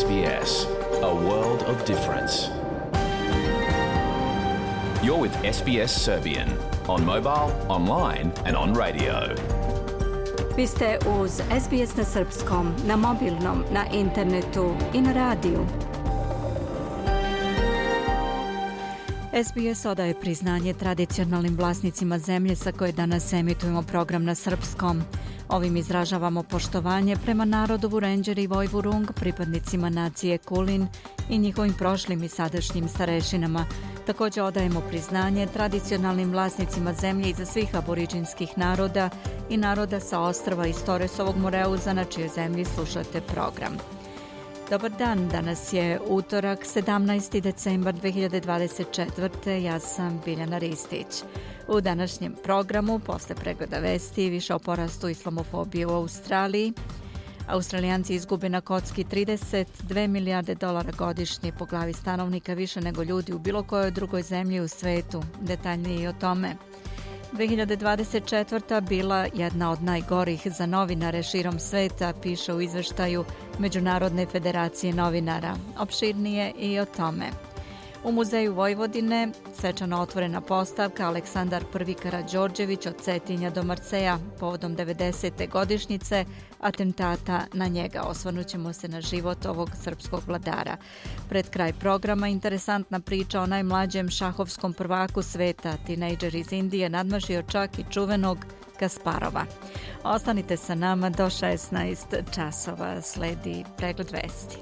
SBS, a world of difference. You're with SBS Serbian on mobile, online and on radio. Vi ste uz SBS na srpskom, na mobilnom, na internetu i na radiju. SBS odaje priznanje tradicionalnim vlasnicima zemlje sa koje danas emitujemo program na srpskom. Ovim izražavamo poštovanje prema narodu Vurenđeri i Vojvurung, pripadnicima nacije Kulin i njihovim prošlim i sadašnjim starešinama. Također odajemo priznanje tradicionalnim vlasnicima zemlje iza svih aboriđinskih naroda i naroda sa ostrva iz Torresovog Moreuza na čijoj zemlji slušate program. Dobar dan, danas je utorak 17. decembar 2024. Ja sam Biljana Ristić. U današnjem programu, posle pregleda vesti, više o porastu islamofobije u Australiji. Australijanci izgube na kocki 32 milijarde dolara godišnje po glavi stanovnika, više nego ljudi u bilo kojoj drugoj zemlji u svetu. Detaljnije i o tome. 2024. bila jedna od najgorih za novinare širom sveta, piše u izveštaju Međunarodne federacije novinara. Opširnije i o tome. U Muzeju Vojvodine svečano otvorena postavka Aleksandar I Karađorđević od Cetinja do Marseja povodom 90. godišnjice atentata na njega. Osvrnućemo se na život ovog srpskog vladara. Pred kraj programa interesantna priča o najmlađem šahovskom prvaku sveta. Tinejdžer iz Indije nadmašio čak i čuvenog Kasparova. Ostanite sa nama do 16 časova. Sledi pregled vesti.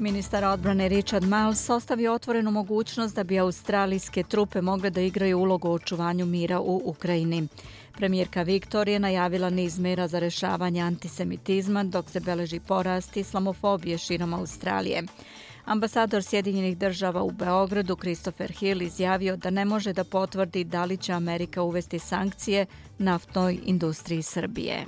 Ministar odbrane Richard Marles ostavio otvorenu mogućnost da bi australijske trupe mogle da igraju ulogu u očuvanju mira u Ukrajini. Premijerka Viktorija najavila niz mera za rešavanje antisemitizma dok se beleži porast islamofobije širom Australije. Ambasador Sjedinjenih država u Beogradu Christopher Hill izjavio da ne može da potvrdi da li će Amerika uvesti sankcije naftnoj industriji Srbije.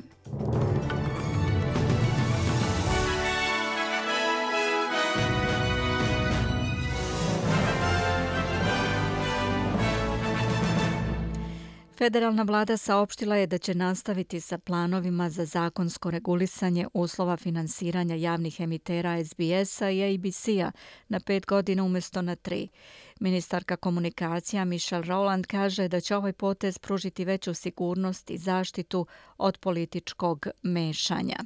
Federalna vlada saopštila je da će nastaviti sa planovima za zakonsko regulisanje uslova finansiranja javnih emitera SBS-a i ABC-a na 5 godina umjesto na 3. Ministarka komunikacija Michelle Rowland kaže da će ovaj potez pružiti veću sigurnost i zaštitu od političkog mešanja.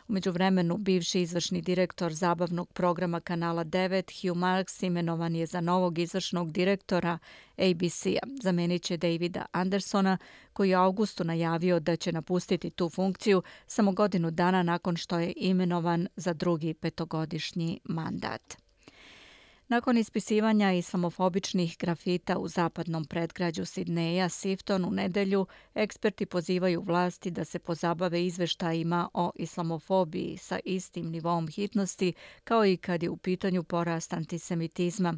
U međuvremenu, bivši izvršni direktor zabavnog programa Kanala 9, Hugh Marks, imenovan je za novog izvršnog direktora ABC-a. Zamenit će Davida Andersona, koji je u augustu najavio da će napustiti tu funkciju samo godinu dana nakon što je imenovan za drugi 5-godišnji mandat. Nakon ispisivanja islamofobičnih grafita u zapadnom predgrađu Sidneja, Sifton, u nedelju, eksperti pozivaju vlasti da se pozabave izveštajima o islamofobiji sa istim nivom hitnosti kao i kad je u pitanju porast antisemitizma.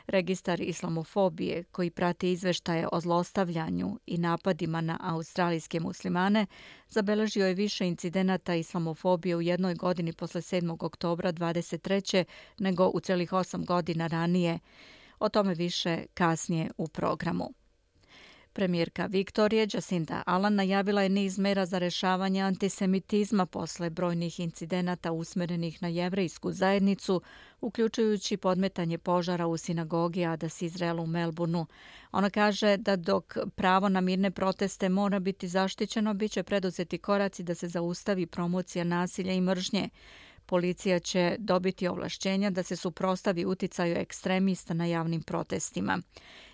Registar islamofobije, koji prati izveštaje o zlostavljanju i napadima na australijske muslimane, zabeležio je više incidenata islamofobije u jednoj godini posle 7. oktobra 23. nego u celih 8 godina ranije. O tome više kasnije u programu. Premijerka Viktorije Jacinda Ardern najavila je niz mera za rešavanje antisemitizma posle brojnih incidenata usmerenih na jevrejsku zajednicu, uključujući podmetanje požara u sinagogi Adas Izrael u Melbourneu. Ona kaže da dok pravo na mirne proteste mora biti zaštićeno, bit će preduzeti koraci da se zaustavi promocija nasilja i mržnje. Policija će dobiti ovlašćenja da se suprotstavi uticaju ekstremista na javnim protestima.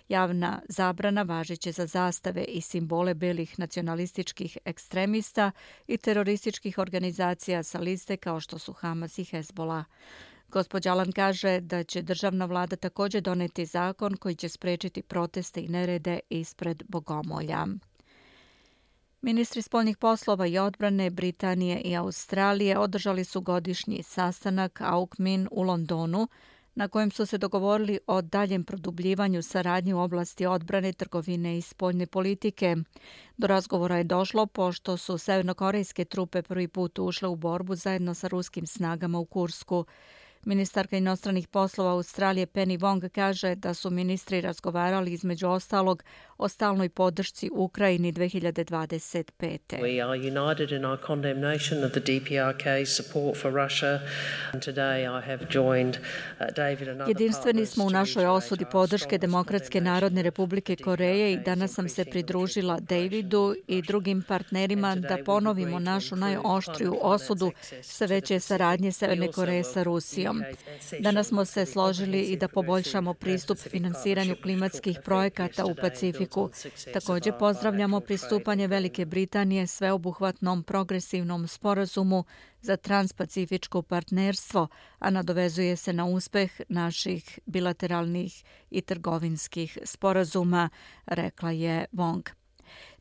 Javna zabrana važiće za zastave i simbole belih nacionalističkih ekstremista i terorističkih organizacija sa liste kao što su Hamas i Hezbollah. Gospođa Ardern kaže da će državna vlada također doneti zakon koji će sprečiti proteste i nerede ispred bogomolja. Ministri spoljnih poslova i odbrane Britanije i Australije održali su godišnji sastanak AUKMIN u Londonu, na kojem su se dogovorili o daljem produbljivanju saradnje u oblasti odbrane, trgovine i spoljne politike. Do razgovora je došlo pošto su severnokorejske trupe prvi put ušle u borbu zajedno sa ruskim snagama u Kursku. Ministarka inostranih poslova Australije Penny Wong kaže da su ministri razgovarali između ostalog o stalnoj podršci Ukrajini 2025. We are united in our condemnation of the DPRK's support for Russia. And today I have joined David and other Jedinstveni smo u našoj osudi podrške Demokratske narodne republike Koreje i danas sam se pridružila Davidu i drugim partnerima da ponovimo našu najoštriju osudu sve veće saradnje Severne Koreje sa Rusijom. Danas smo se složili i da poboljšamo pristup finansiranju klimatskih projekata u Pacifiku. Također pozdravljamo pristupanje Velike Britanije sveobuhvatnom progresivnom sporazumu za transpacifičko partnerstvo, a nadovezuje se na uspeh naših bilateralnih i trgovinskih sporazuma, rekla je Wong.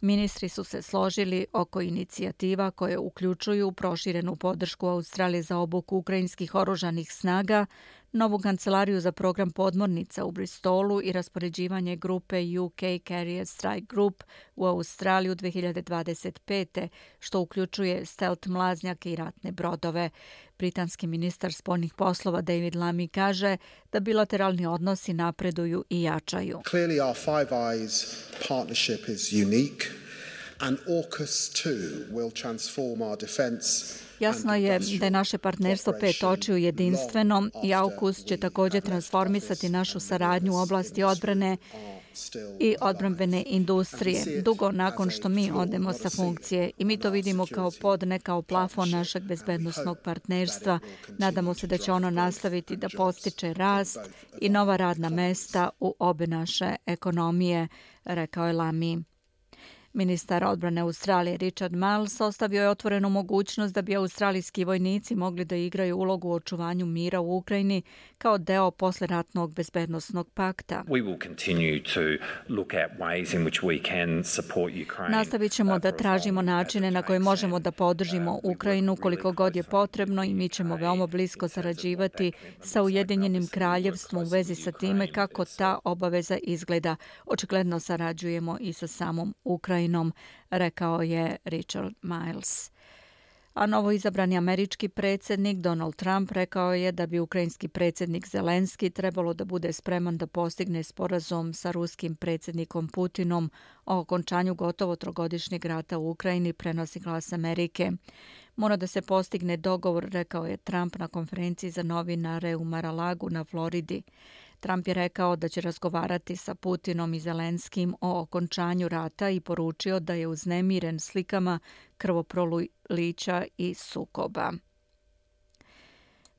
Ministri su se složili oko inicijativa koje uključuju proširenu podršku Australije za obuku ukrajinskih oružanih snaga, novu kancelariju za program podmornica u Bristolu i raspoređivanje grupe UK Carrier Strike Group u Australiju 2025. što uključuje stealth mlaznjake i ratne brodove. Britanski ministar spoljnih poslova David Lammy kaže da bilateralni odnosi napreduju i jačaju. Clearly our Five Eyes partnership is unique and AUKUS too will transform our defense. Jasno je da je naše partnerstvo pet očiju jedinstveno i AUKUS će također transformisati našu saradnju u oblasti odbrane i odbrambene industrije, dugo nakon što mi odemo sa funkcije. I mi to vidimo kao pod, ne kao plafon našeg bezbednosnog partnerstva. Nadamo se da će ono nastaviti da postiče rast i nova radna mesta u obe naše ekonomije, rekao je Lammy. Ministar odbrane Australije Richard Marles ostavio je otvorenu mogućnost da bi australijski vojnici mogli da igraju ulogu u očuvanju mira u Ukrajini kao deo posleratnog bezbednosnog pakta. Nastavit ćemo da tražimo načine na koje možemo da podržimo Ukrajinu koliko god je potrebno i mi ćemo veoma blisko sarađivati sa Ujedinjenim kraljevstvom u vezi sa time kako ta obaveza izgleda. Očigledno sarađujemo i sa samom Ukrajinom, rekao je Richard Marles. A novoizabrani američki predsjednik Donald Trump rekao je da bi ukrajinski predsjednik Zelenski trebalo da bude spreman da postigne sporazum sa ruskim predsjednikom Putinom o okončanju gotovo trogodišnjeg rata u Ukrajini, prenosi Glas Amerike. Mora da se postigne dogovor, rekao je Trump na konferenciji za novinare u Mar-a-Lagu na Floridi. Trump je rekao da će razgovarati sa Putinom i Zelenskim o okončanju rata i poručio da je uznemiren slikama krvoprolića i sukoba.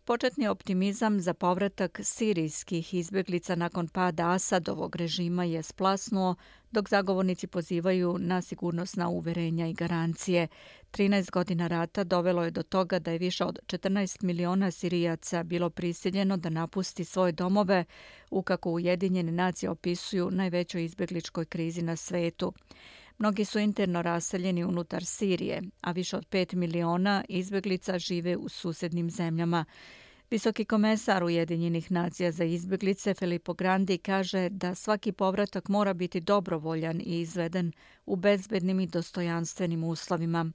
Početni optimizam za povratak sirijskih izbjeglica nakon pada Asadovog režima je splasnuo, dok zagovornici pozivaju na sigurnosna uverenja i garancije. 13 godina rata dovelo je do toga da je više od 14 miliona Sirijaca bilo prisiljeno da napusti svoje domove u, kako Ujedinjene nacije opisuju, najvećoj izbjegličkoj krizi na svetu. Mnogi su interno raseljeni unutar Sirije, a više od 5 miliona izbjeglica žive u susednim zemljama. Visoki komesar Ujedinjenih nacija za izbjeglice Filippo Grandi kaže da svaki povratak mora biti dobrovoljan i izveden u bezbednim i dostojanstvenim uslovima.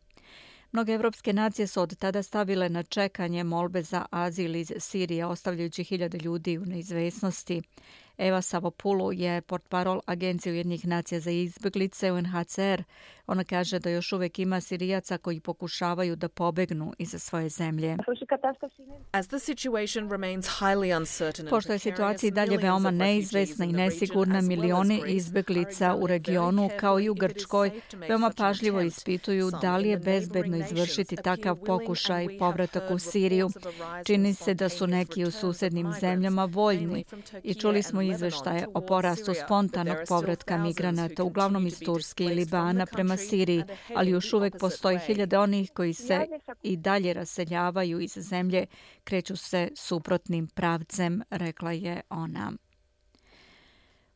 Mnoge evropske nacije su od tada stavile na čekanje molbe za azil iz Sirije, ostavljajući hiljade ljudi u neizvesnosti. Eva Savopulu je portparol Agencije Ujedinjenih nacija za izbjeglice UNHCR. Ona kaže da još uvijek ima Sirijaca koji pokušavaju da pobegnu iz svoje zemlje. Pošto je situacija i dalje veoma neizvesna i nesigurna, milioni izbjeglica u regionu, kao i u Grčkoj, veoma pažljivo ispituju da li je bezbedno izvršiti takav pokušaj povratak u Siriju. Čini se da su neki u susednim zemljama voljni i čuli smo izveštaje o porastu spontanog povratka migranata, uglavnom iz Turske i Libana prema Siriji, ali još uvijek postoji hiljade onih koji se i dalje raseljavaju iz zemlje, kreću se suprotnim pravcem, rekla je ona.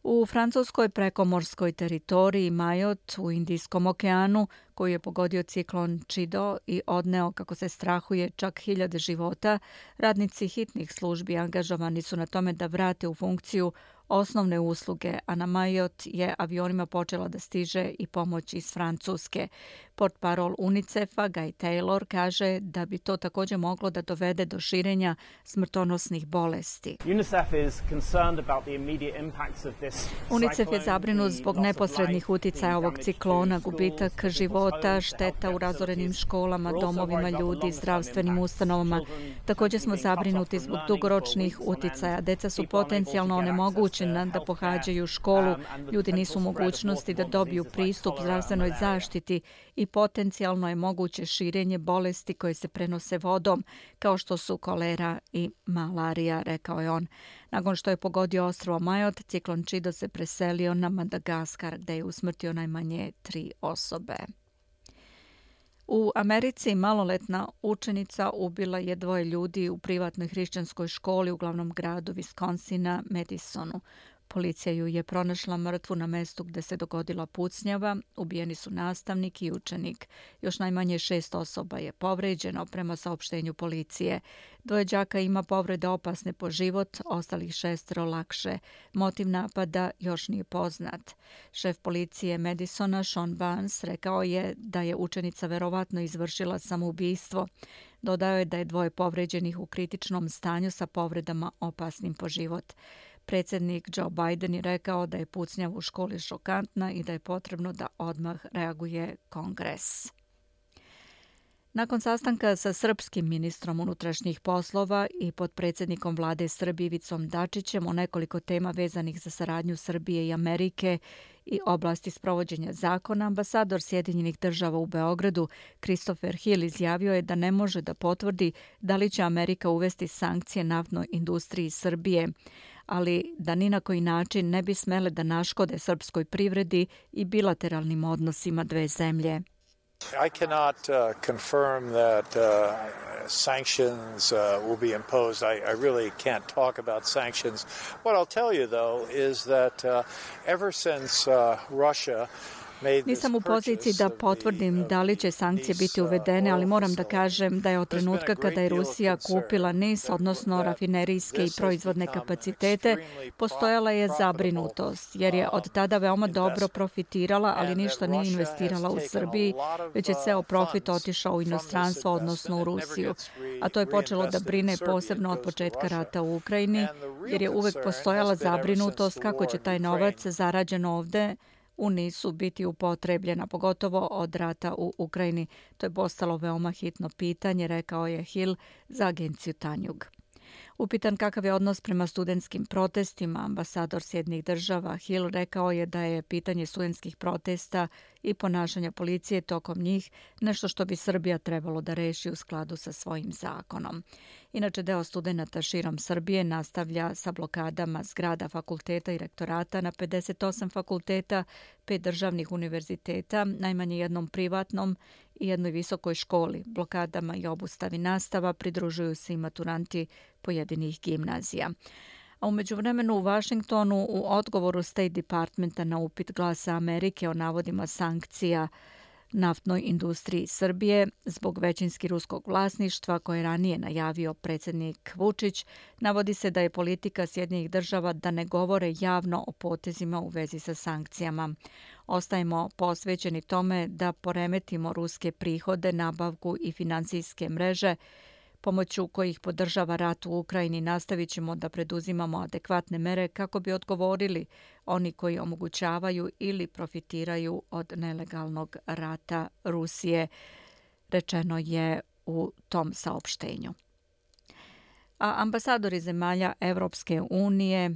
U francuskoj prekomorskoj teritoriji Majot u Indijskom okeanu, koju je pogodio ciklon Chido i odneo, kako se strahuje, čak 1000 života, radnici hitnih službi angažovani su na tome da vrate u funkciju osnovne usluge, a na Majot je avionima počela da stiže i pomoć iz Francuske. Portparol UNICEF-a Guy Taylor kaže da bi to također moglo da dovede do širenja smrtonosnih bolesti. UNICEF je zabrinut zbog neposrednih uticaja ovog ciklona, gubitak života, šteta u razorenim školama, domovima ljudi, zdravstvenim ustanovama. Također smo zabrinuti zbog dugoročnih uticaja. Deca su potencijalno onemogućena da pohađaju školu, ljudi nisu u mogućnosti da dobiju pristup zdravstvenoj zaštiti i potencijalno je moguće širenje bolesti koje se prenose vodom, kao što su kolera i malarija, rekao je on. Nakon što je pogodio ostrvo Majot, ciklon Čido se preselio na Madagaskar, gde je usmrtio najmanje 3 osobe. U Americi maloletna učenica ubila je 2 ljudi u privatnoj hrišćanskoj školi u glavnom gradu Wisconsina, Madisonu. Policija ju je pronašla mrtvu na mestu gde se dogodila pucnjava. Ubijeni su nastavnik i učenik. Još najmanje 6 osoba je povređeno prema saopštenju policije. 2 đaka ima povrede opasne po život, ostalih 6 lakše. Motiv napada još nije poznat. Šef policije Madisona, Sean Barnes, rekao je da je učenica verovatno izvršila samoubistvo. Dodao je da je 2 povređenih u kritičnom stanju sa povredama opasnim po život. Predsjednik Joe Biden je rekao da je pucnjava u školi šokantna i da je potrebno da odmah reaguje Kongres. Nakon sastanka sa srpskim ministrom unutrašnjih poslova i potpredsjednikom vlade Srbije Ivicom Dačićem o nekoliko tema vezanih za saradnju Srbije i Amerike i oblasti sprovođenja zakona, ambasador Sjedinjenih država u Beogradu Christopher Hill izjavio je da ne može da potvrdi da li će Amerika uvesti sankcije naftnoj industriji Srbije, ali da ni na koji način ne bi smele da naškode srpskoj privredi i bilateralnim odnosima 2 zemlje. I cannot confirm that sanctions will be imposed. I really can't talk about sanctions. What I'll tell you, though, is that ever since Russia Nisam u poziciji da potvrdim da li će sankcije biti uvedene, ali moram da kažem da je od trenutka kada je Rusija kupila NIS, odnosno rafinerijske i proizvodne kapacitete, postojala je zabrinutost, jer je od tada veoma dobro profitirala, ali ništa nije investirala u Srbiji, već je ceo profit otišao u inostranstvo, odnosno u Rusiju. A to je počelo da brine posebno od početka rata u Ukrajini, jer je uvek postojala zabrinutost kako će taj novac zarađen ovde u NIS-u biti upotrebljena, pogotovo od rata u Ukrajini. To je postalo veoma hitno pitanje, rekao je Hill za agenciju Tanjug. Upitan kakav je odnos prema studentskim protestima, ambasador Sjedinjenih država Hill rekao je da je pitanje studentskih protesta i ponašanja policije tokom njih nešto što bi Srbija trebalo da reši u skladu sa svojim zakonom. Inače, deo studenata širom Srbije nastavlja sa blokadama zgrada fakulteta i rektorata na 58 fakulteta, 5 državnih univerziteta, najmanje jednom privatnom i jednoj visokoj školi. Blokadama i obustavi nastava pridružuju se i maturanti pojedinih gimnazija. A u međuvremenu u Vašingtonu u odgovoru State Departmenta na upit Glasa Amerike o navodima sankcija naftnoj industriji Srbije zbog većinski ruskog vlasništva koje je ranije najavio predsjednik Vučić, navodi se da je politika Sjedinjenih država da ne govore javno o potezima u vezi sa sankcijama. Ostajemo posvećeni tome da poremetimo ruske prihode, nabavku i finansijske mreže, pomoću kojih podržava rat u Ukrajini. Nastavit ćemo da preduzimamo adekvatne mere kako bi odgovorili oni koji omogućavaju ili profitiraju od nelegalnog rata Rusije, rečeno je u tom saopštenju. A ambasadori zemalja Evropske unije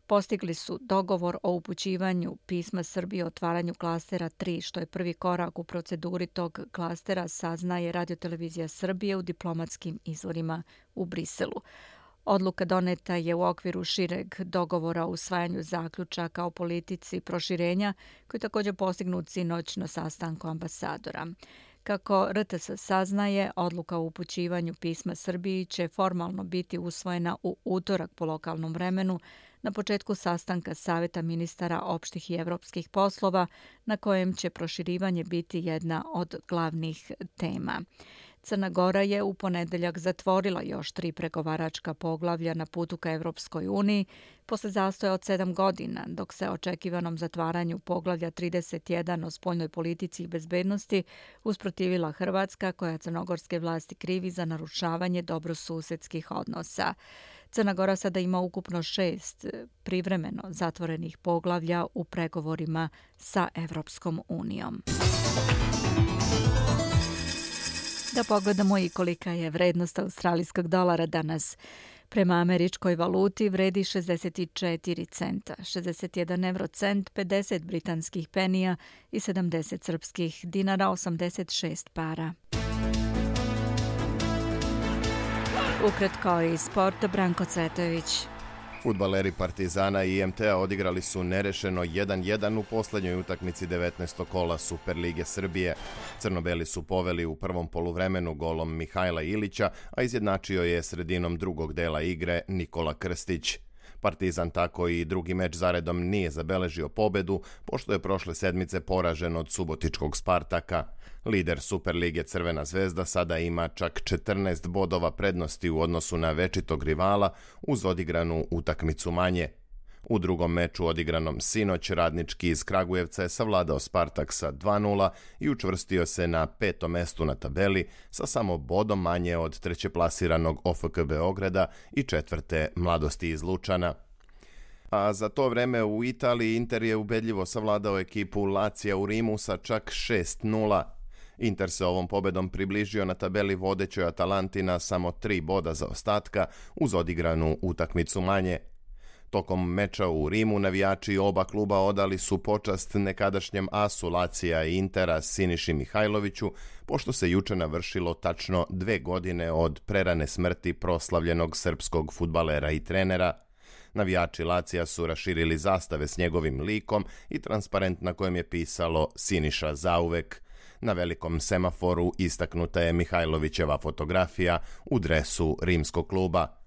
postigli su dogovor o upućivanju pisma Srbije o otvaranju klastera 3, što je prvi korak u proceduri tog klastera, saznaje Radio-televizija Srbije u diplomatskim izvorima u Briselu. Odluka doneta je u okviru šireg dogovora o usvajanju zaključaka o politici proširenja, koji je također postignut sinoć na sastanku ambasadora. Kako RTS saznaje, odluka o upućivanju pisma Srbiji će formalno biti usvojena u utorak po lokalnom vremenu na početku sastanka Saveta ministara opštih i evropskih poslova, na kojem će proširivanje biti jedna od glavnih tema. Crna Gora je u ponedeljak zatvorila još 3 pregovaračka poglavlja na putu ka Evropskoj uniji posle zastoja od 7 godina, dok se očekivanom zatvaranju poglavlja 31 o spoljnoj politici i bezbednosti usprotivila Hrvatska, koja crnogorske vlasti krivi za narušavanje dobrosusedskih odnosa. Crna Gora sada ima ukupno 6 privremeno zatvorenih poglavlja u pregovorima sa Evropskom unijom. Da pogledamo i kolika je vrednost australijskog dolara danas. Prema američkoj valuti vredi 64 centa, 61 eurocent, 50 britanskih penija i 70 srpskih dinara, 86 para. Ukratko iz sporta, Branko Cvetović. Fudbaleri Partizana i IMT-a odigrali su nerešeno 1-1 u posljednjoj utakmici 19. kola Superlige Srbije. Crnobeli su poveli u prvom poluvremenu golom Mihajla Ilića, a izjednačio je sredinom drugog dela igre Nikola Krstić. Partizan tako i drugi meč zaredom nije zabeležio pobedu, pošto je prošle sedmice poražen od subotičkog Spartaka. Lider Superlige Crvena zvezda sada ima čak 14 bodova prednosti u odnosu na večitog rivala uz odigranu utakmicu manje. U drugom meču odigranom sinoć Radnički iz Kragujevca je savladao Spartak sa 2:0 i učvrstio se na 5. mestu na tabeli sa samo bodom manje od trećeplasiranog OFK Beograda i 4. Mladosti iz Lučana. A za to vreme u Italiji Inter je ubedljivo savladao ekipu Lacija u Rimu sa čak 6:0. Inter se ovom pobedom približio na tabeli vodećoj Atalanti na samo 3 boda zaostatka uz odigranu utakmicu manje. Tokom meča u Rimu navijači oba kluba odali su počast nekadašnjem asu Lacija i Intera Siniši Mihajloviću, pošto se juče navršilo tačno 2 godine od prerane smrti proslavljenog srpskog fudbalera i trenera. Navijači Lacija su raširili zastave s njegovim likom i transparent na kojem je pisalo Siniša zauvek. Na velikom semaforu istaknuta je Mihajlovićeva fotografija u dresu rimskog kluba.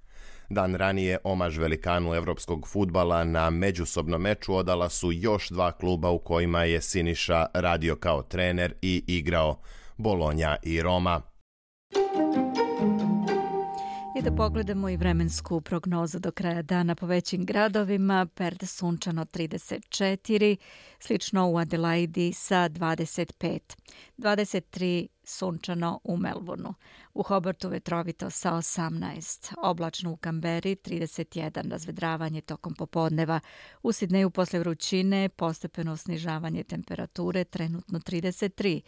Dan ranije omaž velikanu evropskog fudbala na međusobnom meču odala su još 2 kluba u kojima je Siniša radio kao trener i igrao, Bolonja i Roma. I da pogledamo i vremensku prognozu do kraja dana po većim gradovima. Perth sunčano 34, slično u Adelaidi sa 25, 23 sunčano u Melbourneu, u Hobartu vetrovito sa 18, oblačno u Kamberi 31, razvedravanje tokom popodneva, u Sidneju posle vrućine postepeno snižavanje temperature, trenutno 33,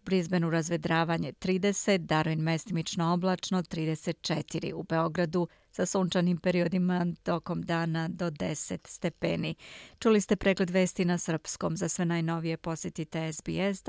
u Brisbaneu razvedravanje 30, Darwin mestimično oblačno 34, u Beogradu sa sunčanim periodima tokom dana do 10 stepeni. Čuli ste pregled vesti na srpskom. Za sve najnovije posjetite sbs.com.au/news.